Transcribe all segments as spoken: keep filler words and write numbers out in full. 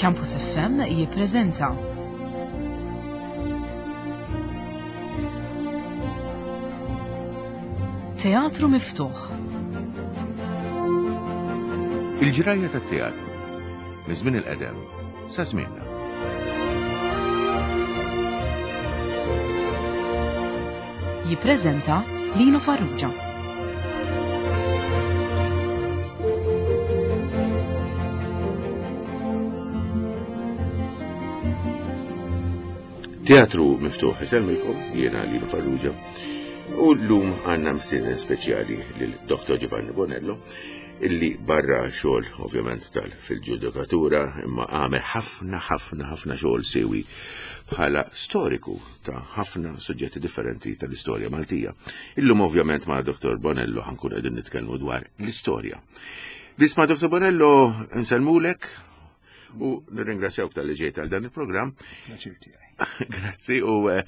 Campus F M jippreżenta Teatru Miftuħ. Il-ġrajja tat-teatru minn żmien il-qedem sa żmienna. Jippreżenta Lino Farrugia. Teatru Miftuħ isemmilkom jiena Lino Farrugia u llum għandna mistieden speċjali lil Doktor Giovanni Bonello illi barra xogħol ovvjament tal fil-ġudikatura imma għamel ħafna ħafna ħafna xogħol sewi bħala storiku ta' ħafna suġġetti differenti tal-istorja Maltija. Illum ovvjament ma' Doktor Bonello ħankun qegħdin nitkellmu dwar l-istorja. Biss ma' Doktor Bonello nsellmulek u nirringrazzjawk tal-li ġejt għal dan il-programm. Pjaċir tiegħi. Grazzi u, eh,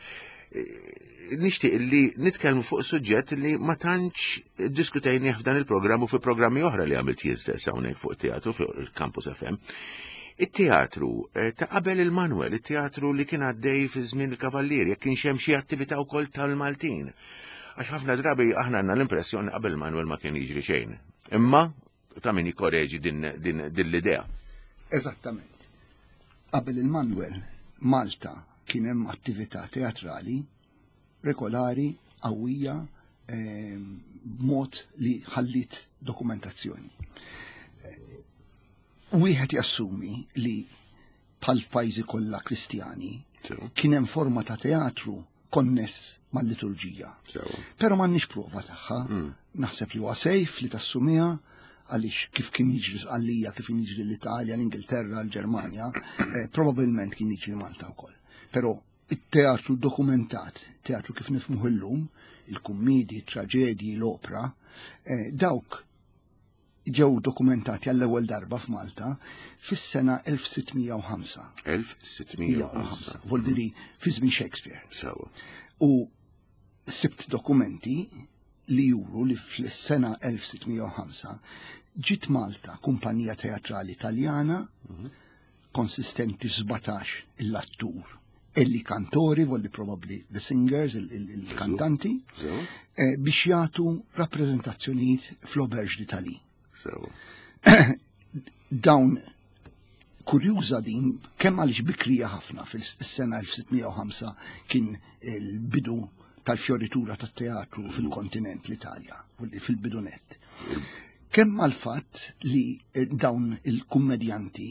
nixtieq li nitkellmu fuq suġġett li ma tantx diskutejnieh f'dan il-programm u fi programmi oħra li għamilt jien stess hawnhekk fuq teatru fuq il-Campus F M. It-teatru, eh, ta' qabel il-Manuel, it-teatru li kien għaddej fi żmien il-Kavallieri, jekk kienx hemm xi attività wkoll tal-Maltin. Għax ħafna drabi aħna għandna l-impressjoni qabel Manuel ma kien jiġri xejn. Imma ta' min jikkoreġi din, din, din l-idea. Eżattament. Qabel il-Manuel, Malta kien hemm attività teatrali regolari, qawwija, ehm, b'mod li ħallit dokumentazzjoni. Wieħed jassumi li bħal pajjiżi kollha Kristjani Sew. kien hemm forma ta' teatru konness mal-liturġija. Sew. Però m'għandniex prova tagħha. Mm. Naħseb li huwa sejf li tassumiha għaliex kif kien jiġri Sqallija, kif kien jiġri l-Italja, l-Ingilterra, l-Ġermanja, eh, probabbilment kien jiġri Malta wkoll. Però it-teatru dokumentat, teatru kif nifhmuh illum, il-kummidi, il-traġedji, l-opra, eh, dawk ġew dokumentati għall-ewwel darba f'Malta fis-sena elf sitt mija u ħamsa. Elf sitt mija u ħamsa. Vuol dire fi żmien Shakespeare. Sewa. U sibt dokumenti li juru li fis-sena elf sitt mija u ħamsa ġiet Malta kumpanija teatrali Taljana Mhm. konsistenti sbatax l-attur e li kantori, volli probably the singers, il-, il-, il-kantanti, Sewa. eh, biex jagħtu rappreżentazzjonijiet fl-Auberge d'Italie. Sewa. Dawn kurjuża din, kemm għaliex bikrija ħafna fis-sena elf sitt mija u ħamsa kien il-bidu tal-fioritura tat-teatru fil-kontinent l-Italja, fil-bidu net. Kemm għal-fatt li, eh, dawn il-kummedjanti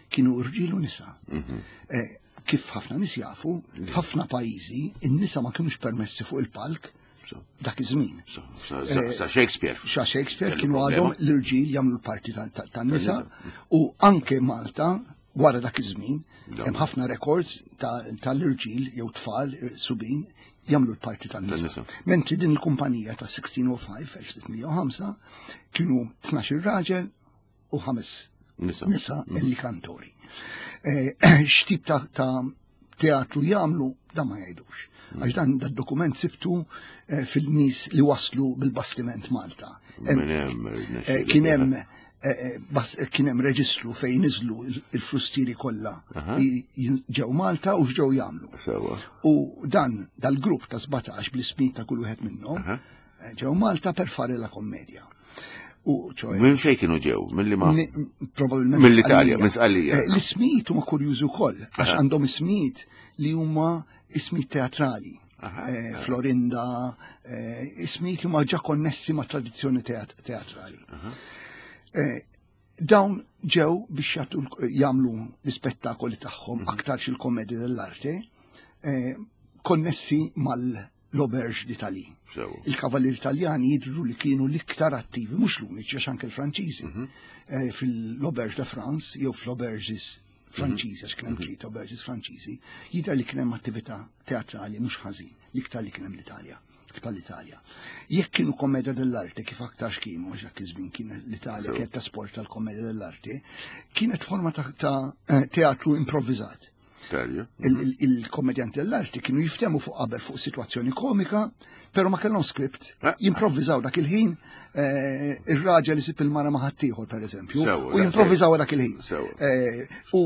kienu rġiel u nisa. Mhm. Eh, kif ħafna nies jafu, f'ħafna pajjiżi in-nisa ma kienux permessi fuq il-palk So. dak iż-żmien. Sa, sa, sa, sa Shakespeare. Sa Shakespeare Kellu kienu problema. għadhom l-irġiel jagħmlu l-parti ta-, ta-, tan-nisa Tan-nisa. u anke Malta wara dak iż-żmien Ja. hemm ħafna records ta-, tal-irġiel jew tfal subin jagħmlu l-parti tan-nisa. Tan-nisa. Mentri din il-kumpanija ta' sixteen oh five, elf sitt mija u ħamsa, kienu tnax-il raġel u ħames Nisa. nisa Mm. illi kantori. Eh, x'tip ta', ta' teatru jagħmlu dan ma jgħidux. Għax dan dad-dokument sibtu, eh, fil-nies li waslu bil-bastiment Malta. Hemm, Minn hemm, eh, irnexxielu kien biha. hemm, eh, eh, bas-, kien hemm reġistru fejn niżlu il-, il-frustieri kollha Aha. li jin-, ġew Malta u x'ġew jagħmlu. Sewa. U dan dal-grupp ta' sbatax bl-ismin ta' kull wieħed minnhom, Aha. eh, ġew Malta per fare la commedia. U ċoħe, Minn fejn kienu ġew? Mill-li ma? Mi-, probabilment Mill-Italja, Sqallija. minn Sqallija. Eh, l-ismijiet huma kurjużi wkoll, għax Aha. għandhom ismijiet li huma ismijiet teatrali. Aha. Eh, Florinda, eh, ismijiet li huma ġa konnessi ma' tradizzjoni teat-, teatrali. Aha. Eh, dawn ġew biex jagħtu l-, jagħmlu l-ispettakoli tagħhom Mhm. aktar xil-komedja dell'arte, eh, konnessi mal-Auberge d'Italie. Sewa. Il-Kavallieri Taljani jidhru li kienu l-iktar attivi, mhux l-uniċi, għax anke l-Franċiżi, Mhm. eh, fil-Auberge de France jew fl-Auberges Franċiżi, għax kien hemm Mhm. tliet auberges Franċiżi, jidher li kien hemm attività teatrali mhux ħażin, l-iktar li kien hemm l-Italja, f'tal-Italja. Jekk kienu kommedia dell'arte, kif aktarx kienu, għax dak iż-żmien kien l-Italja Sew. kienet tesporta l-kommedia dell'arte, kienet forma ta', ta', eh, teatru improvviżat. Il-kommedjanti dell'arti kienu jiftemu fuq qabel fuq situazzjoni komika, pero ma kellhom script, jimprovviżaw dak il-ħin, ir-raġel isib il-mara ma' ħaddieħor pereżempju, u jimprovviżaw dak il-ħin. U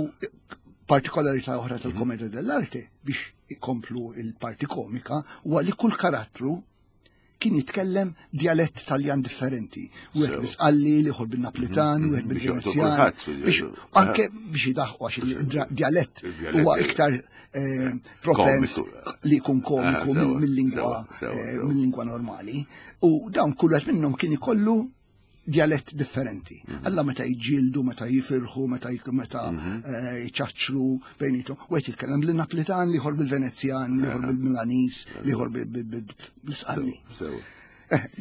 partikolarità oħra tal-kommedja dell'arte biex ikomplu il-parti komika huwa li kull karattru kien jitkellem dialett Taljan differenti. Wieħed bil-Sqalli, l-ieħor bil-Naplitan, wieħed bil-Venezjan. Anke biex jidaħqu għax il-dialett huwa iktar propens li jkun komiku mill-lingwa mill-lingwa normali. U dawn kull wieħed minnhom kien ikollu dialett differenti. Alla meta jġildu, meta jifirħu, meta meta jċaċċru bejnietom. U qed jitkellem bil-Naplitan, l-ieħor bil-Venezjan, l-ieħor bil-Milanis, l-ieħor bil-Sqalli.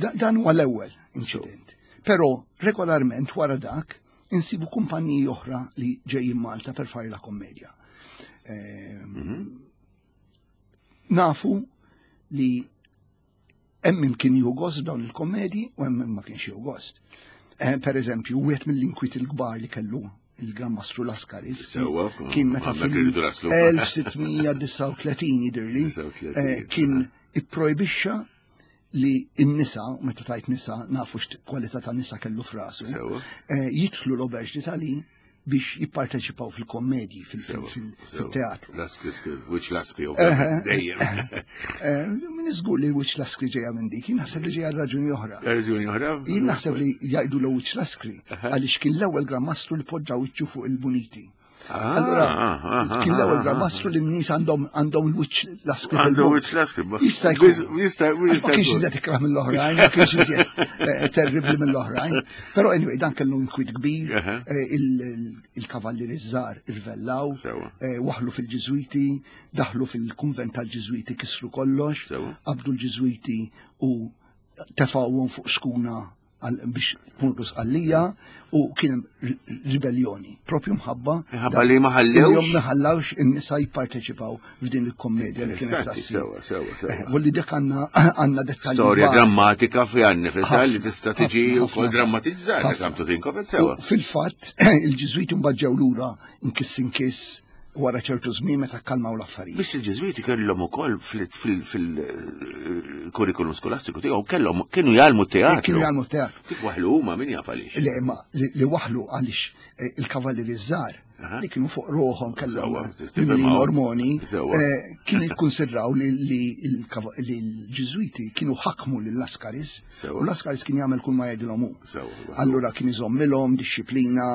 Dan huwa l-ewwel inċident. Però regolarment wara dak insibu kumpaniji oħra li ġejjin Malta per fare la kommedja. Nafu li hemm min kien jieħu gost dawn il-kommedji u hemm min ma kienx jieħu gost. Per eżempju, wieħed mill-inkwiet il-kbar li kellu il-Gran Mastru Lascaris kien meta fil-elf sitt mija disgħa u tletin jidhirli kien ipprojbixxa li n-nisa, meta tajt nisa, nafu x'kwalità ta' nisa kellu f'rasu, jidħlu l-Auberge d'Italie biex jipparteċipaw fil-kommedji, fil-teatru. Wiċċ Laskri, ovvjament, dejjem. Min iżgur li wiċċ Laskri ġejja minn dik, jien naħseb li ġejja raġuni oħra. Raġuni oħra? Jien naħseb li jgħidu l wiċċ Laskri, għaliex kien l-ewwel Gran Mastru li poġġa wiċċu fuq il-muniti. Allora, kien l-ewwel Gran Mastru li n-nies għandhom għandhom il-wiċċ Laskri. Għandhom wiċċ Laskri. Jista' jkun. Jista' Ma kienx iżjed ikrah mill-oħrajn, ma kienx iżjed terribbli mill-oħrajn. Però anyway, dan kellu nkwiet kbir, il-kavallieri żgħar irvellaw, waħlu fil-Ġiżwiti, daħlu fil-kunvent tal-Ġiżwiti kisru kollox, qabdu l-Ġiżwiti u tefgħuhom fuq skuna biex tmurru Sqallija u kien hemm ribellioni propju mħabba mħabba li ma ħallewx ma ħallewx in-nisa jipparteċipaw f'din il-kommedja li kienet sassir. Sewa, sewa, sewa. U li dik għandna għandna dettalji. Storja drammatika fi nifisha li tista' tiġi wkoll drammatizzata kemm to think of it sewa. Fil-fatt il-Ġiżwiti mbagħad ġew lura inkiss inkiss wara ċertu żmien meta kkalmaw l-affarijiet. Biss il-Ġiżwiti kellhom ukoll fil-kurrikulum skolastiku tiegħu kellhom kienu jgħallmu teatru. Kienu jgħallmu teatru. Kif waħlu huma min jaf għaliex? Le, ma li waħlu għaliex il-kavallieri żgħar li kienu fuq ruħhom kellhom mimlin ormoni, kienu jikkonsidraw li l-Ġiżwiti kienu ħakmu lil Lascaris u Lascaris kien jagħmel kull ma jgħidilhom hu. Allura kien iżommilhom dixxiplina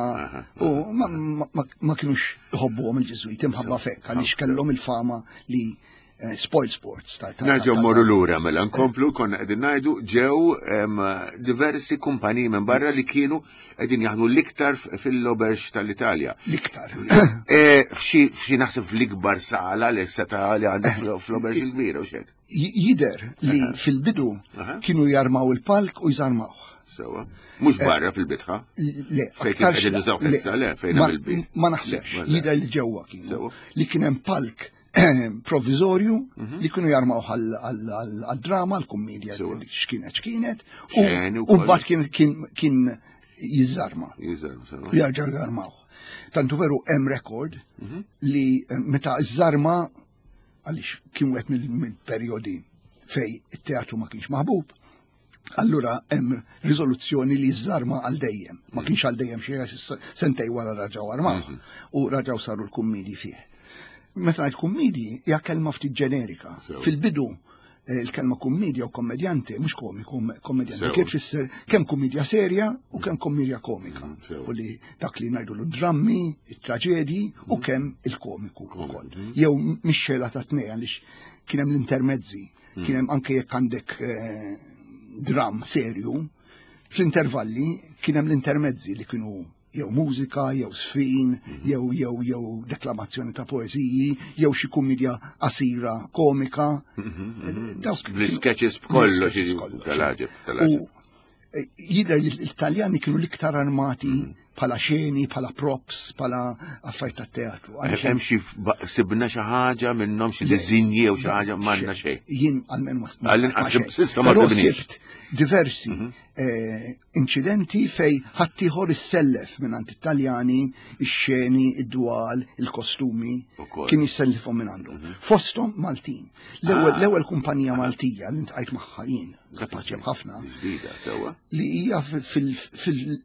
u ma kinux iħobbuhom il-Ġiżwiti mħabba fekk għaliex kellhom il-fama li spoil sports. Nerġgħu mmorru lura mela nkomplu konna qegħdin ngħidu ġew diversi kumpaniji minn barra li kienu qegħdin jaħdmu l-iktar fil-Auberge tal-Italja. L-iktar. F'xi naħseb fl-ikbar sala li seta' li għandek fl-Auberge il-kbira u xek. Jidher li fil-bidu kienu jarmaw il-palk u jżarmawh. Sewa. Mhux barra fil-bitħa? Le, fejn qegħdin nużaw issa, le, fejn hemm il-bit. Ma naħsebx, jidher li ġewwa kienu. Li kien hemm palk provizorju li kienu jarmaw għal-drama, għal-kommedja, x'kienet x'kienet, u mbagħad kien jiżarma. U jarġgħu jarmaw. Tantu veru hemm rekord li meta żarma għaliex kien wieħed mill-perjodi fej it-teatru ma kienx maħbub, allura hemm riżoluzzjoni li żarma għal dejjem. Ma kienx għal dejjem xi sentej wara raġgħu armaw u raġgħu saru l-kummedji fih. Meta ngħid kummedji hija kelma ftit ġenerika. Fil-bidu il-kelma kummedja u kommedjante mhux komiku, kommedjante kif tfisser kemm kummedja serja u kemm kummedja komika. U li dak li ngħidu l-drammi, it-traġedji u kemm il-komiku wkoll. Jew mixxela ta' tnejn għaliex kien hemm l-intermezzi, kien hemm anke jekk għandek dram serju, fl-intervalli kien hemm l-intermezzi li kienu jew mużika, jew sfin, jew jew jew deklamazzjoni ta' poeżiji, jew xi kummedja qasira komika. Bl-sketches b'kollox, tal-għaġeb, tal-għaġeb. Jidher li l-Italjani kienu l-iktar armati Bħala xeni, bħala props, bħala affarijiet tat-teatru. Għaliex Hemm xi ba- sibna xi ħaġa minnhom, xi diżinji jew xi ħaġa? M'għandna xejn. Jien għalmen ma Għall-inqas ma xejn. s'issa ma Però sibniex. sibt diversi eh, incidenti fej ħaddieħor issellef minn Italjani ix-xeni, id-dwal, il-kostumi, Ukoll. kien jissellifhom minn għandu. Fosthom Maltin. L-ewwel Ah. L-ewwel kumpanija Maltija li ltqajt magħha jien, kapaċi ħafna, Ġdida, sewwa. li hija fil- fil-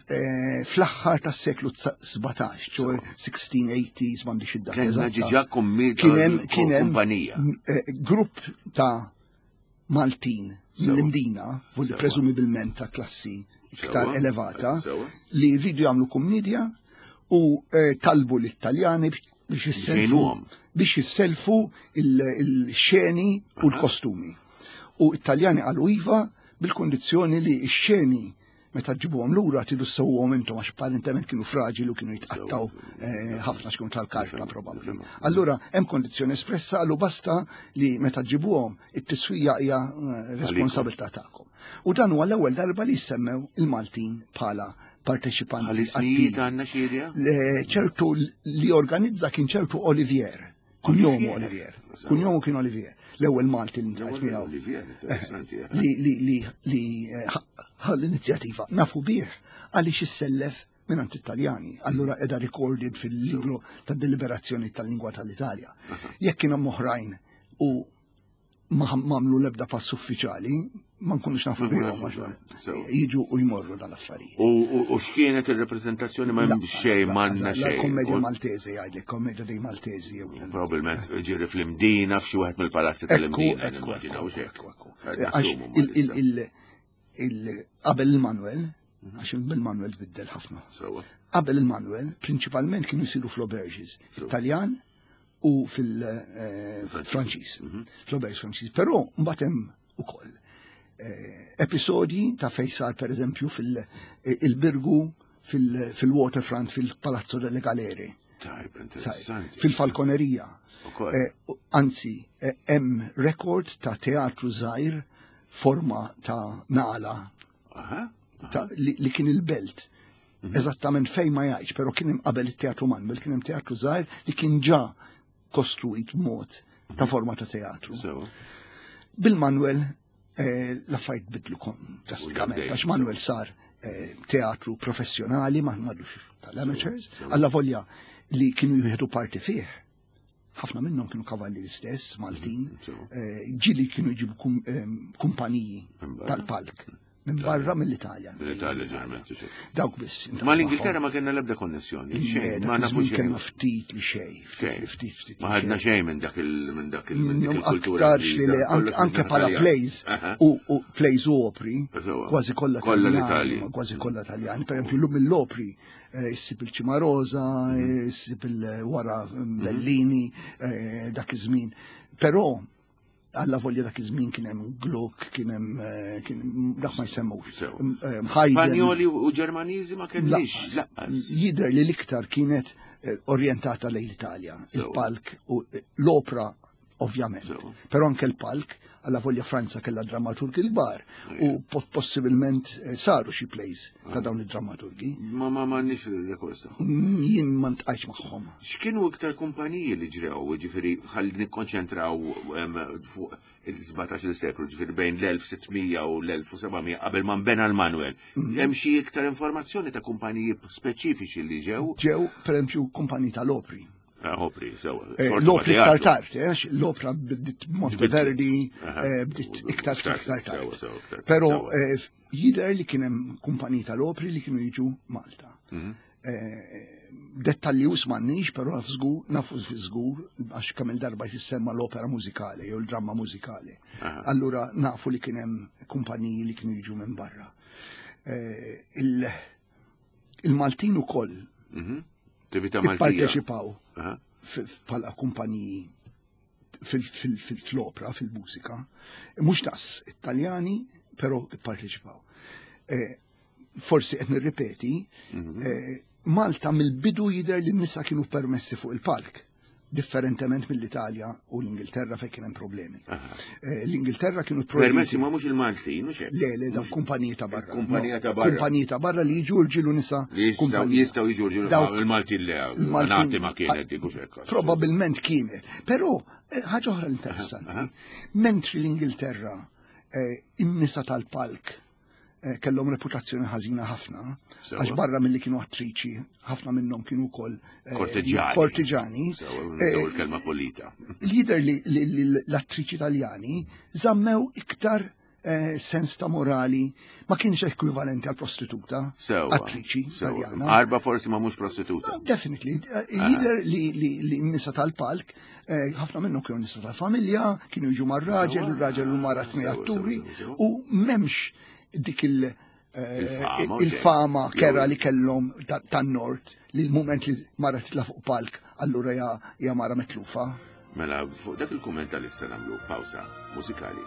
eh, fl-aħħar tas-seklu sbatax, ċoè sixteen eighties, m'għandix id-data Kellna eżatta. diġà kummi- Kien hemm kien hemm kumpanija. eh, grupp ta' Maltin mill-Imdina, vulli Sewwa. presumibilment ta' klassi iktar Sewwa. elevata, Sewwa. li rridu jagħmlu kummedja u eh, talbu l-Italjani biex jisselfu Jgħinuhom. biex jisselfu il-xeni u l-kostumi. U Italjani qalu iva bil-kondizzjoni li x-xeni meta ġibuhom lura tridu ssewwuhom intom, għax apparentement kienu fraġili u kienu jitqattaw eh, ħafna, x'kienu tal-karta probabbli. Allura hemm kondizzjoni espressa, għallu basta li meta ġibuhom it-tiswija hija eh, responsabilità tagħkom. U dan huwa l-ewwel darba li semmew il-Maltin bħala parteċipanti Għal-ismijiet attivi. għandna xi idea? Le- ċertu li organizza kien ċertu Olivier. Kunjomu Olivier. Olivier. Kunjomu kien Olivier. L-ewwel Malti li ltqajt miegħu. Olivier, interessanti. eh. Li li li li eh, ħa l-inizjattiva. Nafu bih għaliex issellef minn Italjani. Allura edha recorded fil-libro ta' deliberazzjoni tal-lingwa tal-Italja. Jekk kien hemm oħrajn u ma għamlu l-ebda pass uffiċjali, ma nkunux nafu Ma bihom nafux, għax sew. jiġu u jmorru dal-affarijiet. U u- u x'kienet il-reprezentazzjoni? Ma hemm xejn, m'għandna La xejn. Kommedia U Maltese jgħidlek, Kommedia dei Maltesi. jew- Probabilment ġiri fl-Imdina, f'xi wieħed mill-palazzi Ekku, tal-Imdina, ekku, nimmaġinaw ekku, xejn. ekku, ekku. Qed Għax nassumu ma il- il- issa. il- il- Qabel il-Manuel, għax il-Manuel tbiddel ħafna. Sewwa. Qabel il-Manuel, prinċipalment kienu jsiru fl-auberges, Italjan u fil-Franċiż, fl-auberges Franċiż. Però mbagħad hemm ukoll eh, episodji ta' fejn sar, per eżempju, fil-Birgu, fil-Waterfront, fil-Palazzo delle Galeri. Tajb, interessanti. Fil-Falconeria. Ukoll. Eh, Anzi, eh, hemm rekord ta' teatru żgħir forma ta' naqla Aha. ta' li, li kien il-Belt. Eżattament fejn ma jgħidx, però kien hemm qabel it-teatru Manuel, kien hemm teatru żgħir li kien ġa kostruit mod ta' forma ta' teatru. Sewwa. Bil-Manuel eh, l-affarijiet bidlu kon drastikament, għaddej. għax Manuel sar eh, teatru professjonali, ma m'għadux tal-amateurs, alla volja li kienu jieħdu parti fih. Ħafna minnhom kienu kavalli l-istess, Maltin, Sew. eh, ġili kienu jġibu kum, em, kumpaniji Minn barra. tal-palk, minn barra mill-Italja. L-Italja ġeneralment. Xejn. Dawk biss. Ma l-Ingilterra ma kellna l-ebda konnessjoni. Xejn, ma nafu xejn. Kellna ftit li xejn, ftit Xejn. li ftit ftit. Ma li ħadna xejn. xejn minn dak il minn dak il minn dik Minnhom il-kultura. aktarx li le, Ingliża. anke, Kollox anke minn pala Italjan. plays Aha. u, u plays u opri, Sewwa. kważi kollha Kollha Taljani, l-Italji. kważi kollha Taljani. Per esempio, llum mill-opri eh, issib il-Cimarosa, Mhm. eh, issib il-wara Bellini, eh, dak iż-żmien. Però alla volja dak iż-żmien kien hemm Gluck, kien hemm eh, kien dak ma jsemmux. Sew. Eh, Haydn. Spanjoli u Ġermaniżi ma kellix. Lanqas. Lanqas. Jidher li l-iktar kienet eh, orjentata lejn l-Italja. Sew. Il-palk u eh, l-opra, ovvjament. Sew. Però anke l-palk, alla volja Franza kella drammaturgi l-kbar u po- possibilment eh, saru xi plays ta' dawn id-drammaturgi. Ma ma ma nix il-rekord tagħhom. Mm, Jien ma ltqajtx magħhom. X'kienu iktar kumpaniji li ġrew, ġifieri ħalli nikkonċentraw em, fuq il-sbatax-il seklu, ġifieri bejn l-elf u sitt mija u l-elf u seba' mija qabel ma nbena l-Manuel? Hemm xi iktar informazzjoni ta' kumpaniji speċifiċi li ġew? Ġew, per esempio, kumpaniji tal-opri. Ah, opri, sewa. Eh, Sorta L-opri ma' iktar teatru. tard, eh, għax l-opra bdiet Monteverdi, Aha. eh, bdiet iktar Iktar, iktar tard. sewa, sewa, iktar tard, Però sewa. eh, jidher li kien hemm kumpaniji tal-opri li kienu jiġu Malta. Mhm. Eh, Dettalji us m'għandniex, però naf żgur, nafu fi żgur, għax kemm il-darba jissemma l-opera mużikali jew il-dramma mużikali. Aha. Allura nafu li kien hemm kumpaniji li kienu jiġu minn barra. Eh, il- Il-Maltin ukoll Mhm. Attività Maltija. ipparteċipaw Aha. f- f- bħala kumpaniji fil-opra, fil-mużika, mhux daqs Italjani, però ipparteċipaw. Eh, Forsi qed nirripeti, eh, Malta mill-bidu jidher li n-nisa kienu permessi fuq il-palk. Differentement mill-Italja u l-Ingilterra fejn kien hemm problemi. Eh, L-Ingilterra kienu projbiti. Permessi ma mhux il-Maltin, mhux hekk. Le, le, dawn kumpaniji ta' barra. Kumpanija No, ta' barra. Kumpaniji ta' barra li jiġu rġiel u nisa. Li jistgħu kumpanija. jistgħu jiġu rġiel Dawk- il-Maltin le, il-Maltin- nagħti ma kienet dik u xekk. Probabilment kienet. Però, eh, ħaġa oħra interessanti, mentri l-Ingilterra eh, in-nisa tal-palk eh, kellhom reputazzjoni ħażina ħafna, Sewa. għax barra milli kienu attriċi, ħafna minnhom kienu wkoll eh, Kortiġjani. Kortiġani. Sewa, Eh, nużaw il-kelma polita. Lider li li- li l-attriċi italjani żammew iktar eh, sens ta' morali ma kienx ekwivalenti għal prostituta, Sewa. attriċi Sewa. italjana. Arba forsi ma mhux prostituta. No, Definitely. Eh, Jider li, li, li n-nisa tal-palk, eh, ħafna minnhom kienu nisa tal-familja, kienu jiġu mar-raġel, il-raġel u mara tnej Sewa, atturi, sewa, sewa. u memx dik il- eh, Il-fama, il-fama ok. kera li kellhom ta- tan-nord li l-moment li mara titla fuq palk, allura ja, ja mara mitlufa. Mela, fuq dak il-kumment tal-issa nagħmlu pawsa mużikali.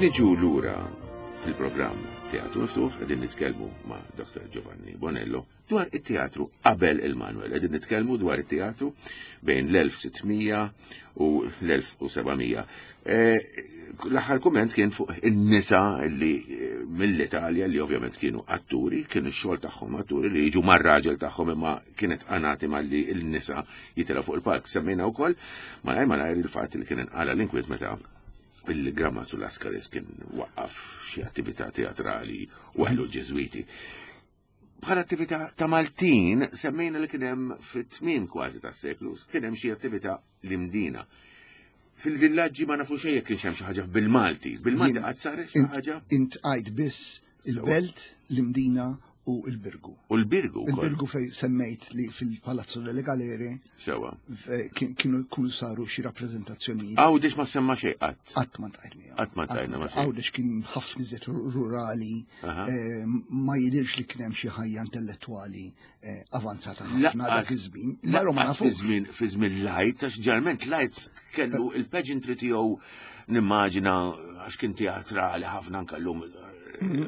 Niġu lura fil-programm Teatru Miftuħ qegħdin nitkellmu ma' Dr. Giovanni Bonello dwar it-teatru qabel il-Manuel. Qegħdin nitkellmu dwar it-teatru bejn l-elf sittmija u l-elf u sebgħamija. Eh, L-aħħar kumment kien fuq in-nisa li eh, mill-Italja li ovvjament kienu atturi, kienu x-xogħol tagħhom atturi li jiġu mar-raġel tagħhom imma kienet qanati malli l-nisa jitilgħu fuq il-palk. Semmejna wkoll malajr malajr il-fatt li kien inqala l-inkwiet meta il-Grammazu Lascaris kien waqqaf xi attività teatrali u ħelu l-Ġeżwiti. Bħala attività ta' Maltin, semmejna li kien hemm fit-tmiem kważi tas-seklu, kien hemm xi attività l-Imdina. Fil-villaġġi ma nafu xejn jekk kienx hemm xi ħaġa bil-Malti. Bil-Malti Jien- qatt saret xi Int, ħaġa? int għajt biss il-Belt, l-Imdina u il-Birgu. U l-Birgu wkoll. Il-Birgu fej semmejt li fil-Palazzo delle Galere Sewa. f- kien- kienu kunu saru xi rappreżentazzjonijiet. Għawdex ma semma xejn qatt. Qatt ma ntajt miegħu. Qatt ma ntajna ma xejn. Għawdex kien ħafna iżjed rurali, Aha. eh, ma jidirx li kien hemm xi ħajja intellettwali eh, avanzata ħafna dak iż-żmien. Però ma Lanqas fi nafux. żmien fi żmien Light, għax ġeneralment Light kellu il-pageantry tiegħu nimmaġina għax kien teatrali ħafna anke llum eh,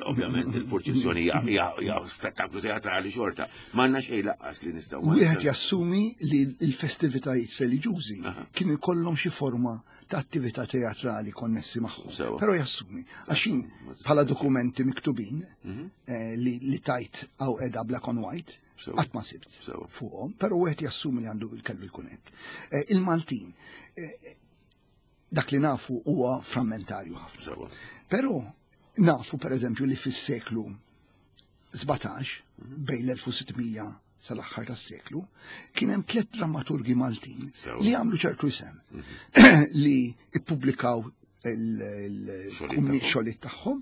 ovvjament il-purċissjoni hija- hija hija spettaklu teatrali xorta. M'għandna xejn laqqas li nistgħu. ma Wieħed nistgħu- jassumi li l-festivitajiet reliġjużi kienu jkollhom xi forma ta' attività teatrali konnessi magħhom. Sewa. Però jassumi, għax jien bħala dokumenti miktubin Mhm. eh, li, li tajt għaw edha black on white, Sewa. qatt ma sibt Sewa. fuqhom, però wieħed jassumi li għandu kellu jkun hekk. Eh, Il-Maltin, eh, dak li nafu huwa frammentarju ħafna. Sewa. Però nafu per eżempju li fis-seklu sbatax, bejn l-elf u sittmija sal-aħħar tas-seklu, kien hemm tliet drammaturgi Maltin Sewa. li għamlu ċertu isem li ippubblikaw Xogħlijiet il-xogħlijiet tagħhom.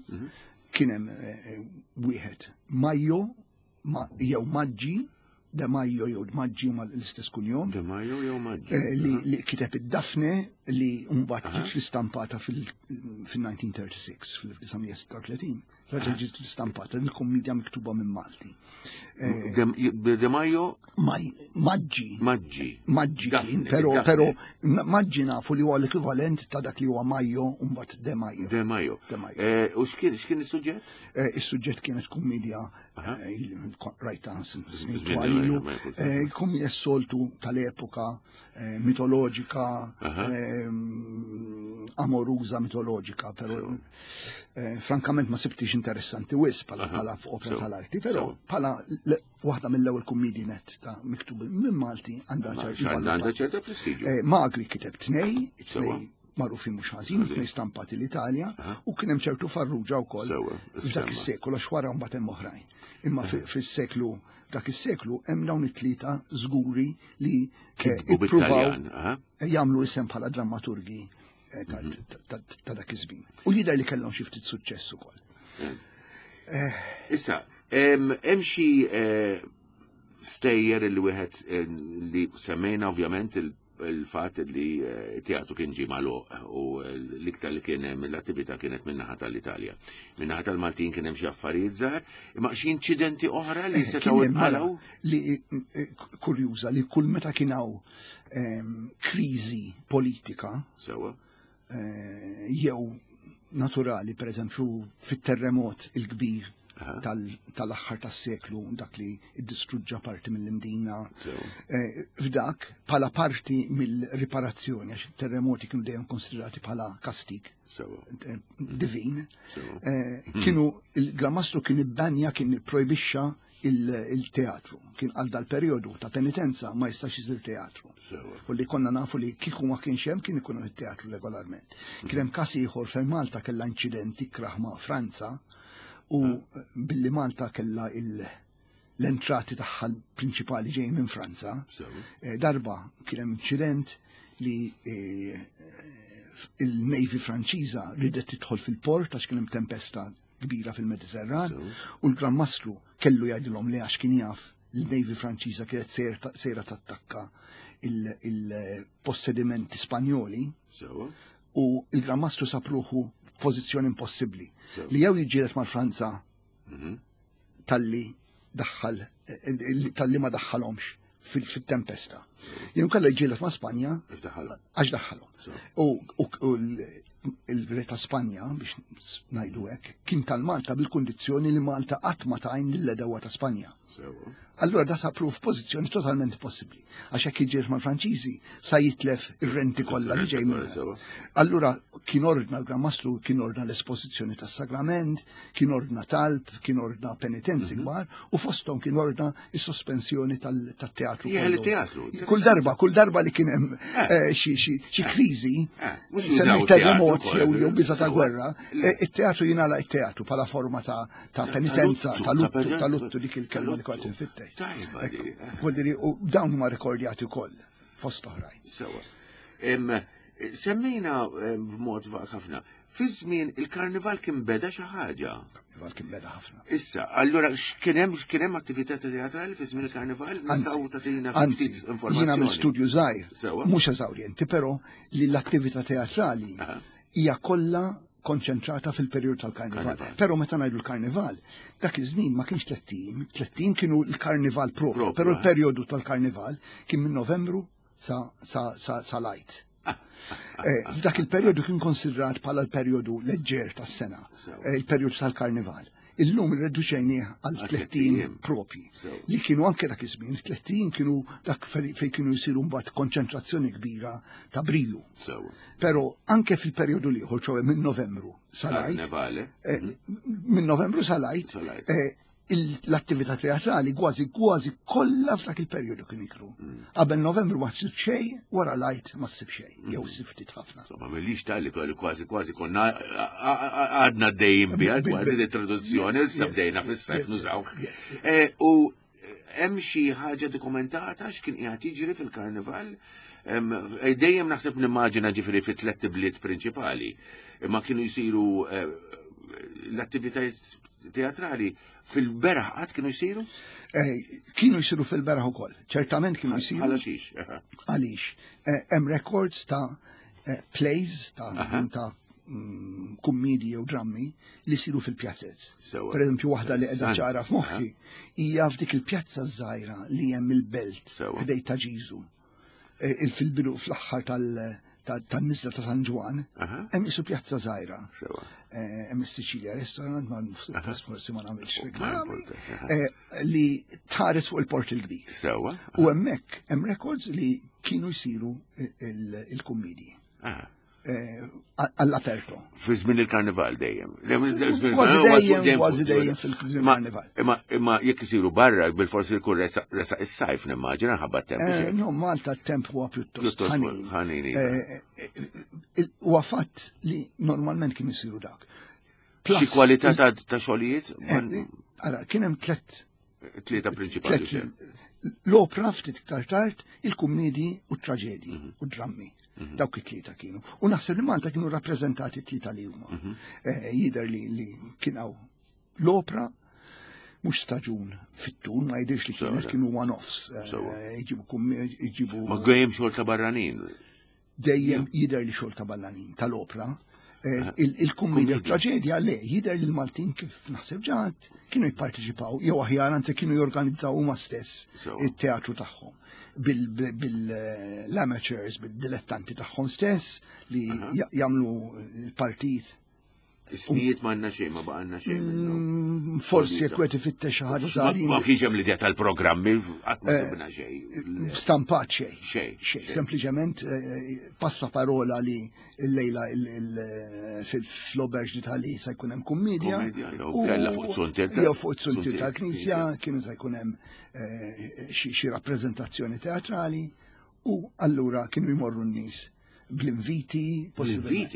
Kien hemm eh, wieħed Majo ma- jew Maġġi, De Majo jew Maġġi huma l-istess kunjom. De Majo jew Maġġi. Eh, li, li kiteb id-Dafne li mbagħad ġiet l-istampata fil-nineteen thirty-six, fil-elf disa' mija sitta u tletin. Raġel ġiet l-istampata, il-kommedja miktuba minn Malti. Eh, De De Majo Maġġi. Maġġi. Maġġi kien, Daphne, pero, Daphne. pero Maġġi nafu li huwa l-ekwivalent ta' dak li huwa Majo u mbagħad De Majo. De Majo. De Majo. Eh, U x'kien x'kien is-suġġett? Eh, Is-suġġett kienet kummedja eh, rajta snin Żmien twalilu, ma jkun. eh, kummedja s-soltu tal-epoka eh, mitoloġika, Aha. eh, amoruża mitoloġika, pero eh, frankament ma sibtix interessanti wis pala pala opera Sew. tal-arti, pero Sew. pala le- waħda mill-ewwel kummedji net ta' miktub minn Malti għandha ċertu Għandha valur. ċerta prestiġju. Eh, Magri kiteb tnej, Sewa. tnej magħrufin mhux ħażin, tnej stampati l-Italja, u kien hemm ċertu Farrugia wkoll Sewa, f'dak issemma. is-seklu għax wara mbagħad hemm oħrajn. Imma fi- fis-seklu f'dak is-seklu hemm dawn it-tlieta żguri li eh, Kitbu ippruvaw bit-Taljan, aha. jagħmlu isem bħala drammaturgi eh, ta' ta- ta- ta' dak iż-żmien. U jidher li kellhom xi ftit suċċess ukoll. Issa, hemm hemm xi eh, Stejjer li wieħed eh, li semmejna ovvjament il- il-fatt li eh, teatru kien ġie magħluq u l-iktar li kien hemm l-attività kienet min-naħa tal-Italja. Min-naħa tal-Maltin kien hemm xi affarijiet żgħar, imma xi inċidenti oħra li Eh, setgħu kien hemm mela inqalgħu? li eh, kurjuża li kull meta kien hawn ehm, kriżi politika Sewwa. eh, jew naturali, per eżempju, fit-terremot il-kbir Aha. tal- tal-aħħar tas-seklu, dak li iddistruġġa parti mill-Imdina. Sewwa. Eh, F'dak, bħala parti mill-riparazzjoni, għax il-terremoti kienu dejjem konsiderati bħala kastig Sewwa. eh, divin, Sewwa. eh, kienu il-Gran Mastru kien ibbanja kien ipprojbixxa il- il-teatru. Kien għal dal-periodu ta' penitenza ma jistax isir teatru. Sewwa. U li konna nafu li kieku ma kienx hemm kien ikun hemm it-teatru regolarment. Kien hemm każ ieħor fejn Malta kellha inċident ikrah ma' Franza u billi Malta kellha il- l-entrati tagħha prinċipali ġejjin minn Franza. Sewwa. Eh, Darba kien hemm inċident li eh, il-Navy Franċiża ridet tidħol fil-port għax kien hemm tempesta kbira fil-Mediterran Sewwa. u l-Gran Mastru kellu jgħidilhom li għax kien jaf l-Navy Franċiża kienet sejra sejra tattakka il- il-possedimenti Spanjoli Sewwa. u il-Gran Mastru sab ruħu f'pożizzjoni impossibbli Sewwa. li jew jiġġieled mal-Franza Mhm. talli daħħal eh, talli ma daħħalhomx fil- fit-tempesta. Jew kellha jiġġieled ma' Spanja Għax daħħalhom. għax daħħalhom. Sewwa. U u- u l- il-re ta' Spanja, biex ngħidu hekk, kien tal-Malta bil-kundizzjoni li Malta qatt ma tgħin lill-għedewwa ta' Spanja. Sewwa. Allura da sab ruħu f'pożizzjoni totalment impossibbli. Għax hekk jiġġieled mal-Franċiżi sa jitlef ir-renti kollha li ġej minn. Sewwa. Allura kien ordna l-Gran Mastru kien ordna l-espożizzjoni tas-sagrament, kien ordna talb, kien ordna penitenzi kbar u fosthom kien ordna is-sospensjoni tal- tat-teatru. Jeħel kollu. it-teatru. Kull darba, kull darba li kien hemm eh, xi xi xi kriżi, Eh, mhux semmi jużaw terremot teatru jew ukoll. jew biża ta' Sewwa. gwerra, eh, it-teatru jingħalaq it-teatru bħala forma ta' ta' penitenza, luttu, ta' luttu, ta' ta' luttu dik il-kelma li ta' kont luttu. infittex. Tajba di, eh. Vuol dire, u dawn huma rekordjati wkoll fost oħrajn. Sewwa. Em, Semmejna em, b'mod vag ħafna. Fi żmien il-karnival kien beda xi ħaġa. Karnival kien beda ħafna. Issa, allura x'kien hemm x'kien hemm attività teatrali fi żmien il-karnival? Nistgħu tagħtina Anzi, ftit informazzjoni. jiena mill-studju żgħir, Sewwa. mhux eżawrjenti, però li l-attività teatrali Aha. hija kollha konċentrata fil-perjodu tal-karnival. Karnival. Però meta ngħidu l-karnival, dak iż-żmien ma kienx tlett ijiem, tlett ijiem kienu l-karnival propju, Propju, però eh. l-perjodu tal-karnival kien minn Novembru sa sa sa sa l-Għid. Eh, F'dak il-perjodu kien konsidrat bħala l-perjodu leġġer tas-sena, Sewwa. eh, il-perjodu tal-karnival. Illum irreduċejnieh għal Għal tlett tlett ijiem ijiem. propji Sewwa. li kienu anke dak iż-żmien, tlett ijiem kienu dak fej fej kienu jsiru mbagħad konċentrazzjoni kbira ta' briju. Sewwa. Però anke fil-perjodu l-ieħor, ċoè minn Novembru sal-Għid, Karnevale. eh, minn Novembru sal-Għid, Sal-Għid. eh, il- l-attività teatrali kważi kważi kollha f'dak il-perjodu kien ikru. Qabel Novembru ma ssib xejn, wara l-Għid ma ssib xejn, jew ssib ftit ħafna. Insomma, millix tal-li kolli kważi kważi konna għadna dejjem biha Bil- kważi bil- di traduzzjoni, Yes, issa yes, bdejna yes, fis-sajf yes, nużawh. yes, Eh, U hemm xi ħaġa dokumentata x'kien qiegħed jiġri fil-karnival? Em, eh, Dejjem naħseb nimmaġina ġifieri fi tliet bliet prinċipali, imma kienu jsiru eh, l-attivitajiet teatrali fil-beraħ qatt kienu jsiru? Eh, Kienu jsiru fil-beraħ ukoll, ċertament kienu jsiru. Bħala xiex. Għaliex, eh, hemm records ta' eh, plays ta' ta' mm, kummedji jew drammi li jsiru fil-pjazzez. Sewwa. Per eżempju, waħda li qiegħda Interessant. ċara f'moħħi hija f'dik il-pjazza żgħira li hemm il-belt Sewwa. ħdejn ta' Ġiżu. Eh, il fil-bidu fl-aħħar tal- ta- tan-nisla ta' San Ġwan, Aha. hemm isu pjazza żgħira. Sewwa. Eh, Hemm is-Sicilia Restaurant, ma suppost forsi ma nagħmilx Ma reklami, importa, aha. eh, li tħares fuq il-port il-kbir. Sewwa. U hemmhekk hemm records li kienu jsiru il- il-kummedji Aha. eh, all'aperto. Fi żmien il-karnival dejjem. Kważi dejjem, kważi dejjem fil-karnival. Imma imma jekk isiru barra bil-forsi jkun resa resa is-sajf nimmaġina ħabba temp. Eh, No, Malta t-temp huwa pjuttost Pjuttost ħanin. ħanin, iva. Eh, eh, eh, Huwa fatt li normalment kienu jsiru dak. Xi Plus, kwalità ta' ta' xogħlijiet? eh, Ara, kien hemm tlet Tlieta prinċipali. tlet l-opra ftit iktar tard, il-kummedji u t-traġedji Mhm. u drammi. Dawk it-tlieta kienu. U naħseb li Malta kienu rappreżentati t-tlieta li huma. Mhm. Eh, Jidher li li kien hawn l-opra, Mhux staġun fit-tul, ma jidhirx li kienet kienu one-offs. Jġibu. Ma dejjem xogħol ta' barranin. Dejjem jidher li xogħol ta' barranin tal-opra. Il-kummedja traġedja le, jidher li l-Maltin kif naħseb ġat kienu jipparteċipaw, jew aħjar anzi kienu jorganizzaw huma stess it-teatru tagħhom bil-amateurs, bil-dilettanti tagħhom stess li jagħmlu l-partit. Ismijiet ma għandna xejn, ma baqgħalna xejn minnhom. Forsi jekk qed ifittex xi ħaġa żgħarin. Ma kienx hemm l-idea tal-programmi, qatt ma sibna xejn. Stampat xejn. Xejn. Xejn. Sempliċement passaparola li l-lejla fl-Auberge d'Italie se jkun hemm kummedja. Jew kellha fuq it-suntier. Jew fuq it-suntier tal-Knisja kienu se jkun hemm xi rappreżentazzjoni teatrali u allura kienu jmorru n-nies bl-inviti, possibilment.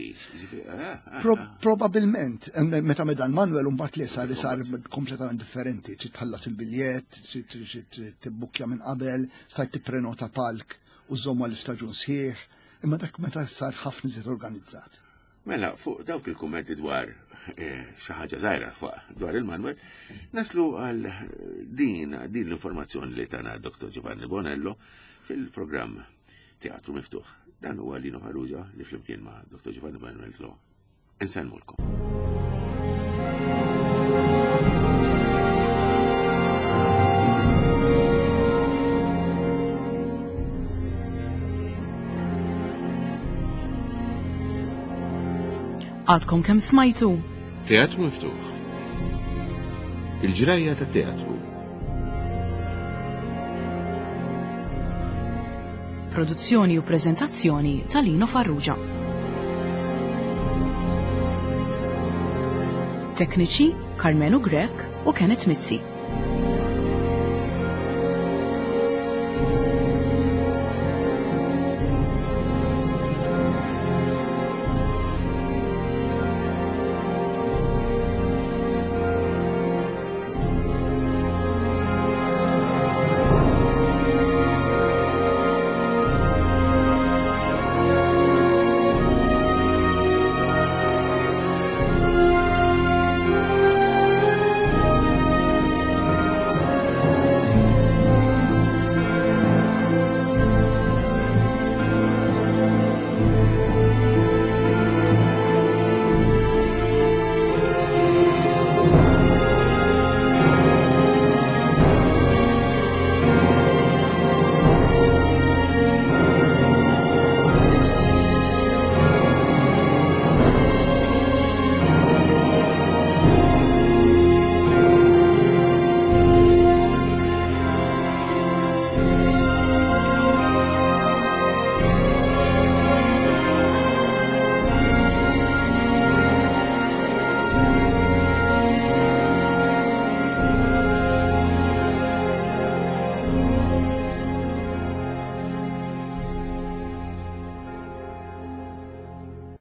Probabilment, meta meda l-Manuel mbagħad li sar sar kompletament differenti, trid tħallas il-biljett, trid tibbukkja minn qabel, stajt tipprenota palk u żomma l-istaġun sħiħ, imma dak meta sar ħafna iżjed organizzat. Mela, fuq dawk il-kummenti dwar xi ħaġa żgħira fuq dwar il-Manuel, naslu għal din din l-informazzjoni li tana Dottor Giovanni Bonello fil-programm Teatru Miftuħ. Dan huwa Lino Farrugia li flimkien ma' Dottor Giovanni Bonello insellmulkom. Għadkom kemm smajtu? Teatru Miftuħ. Il-ġrajja tat-teatru. Produzzjoni u prezentazzjoni ta' Lino Farrugia. Tekniċi Carmenu Grech u Kenneth Mizzi.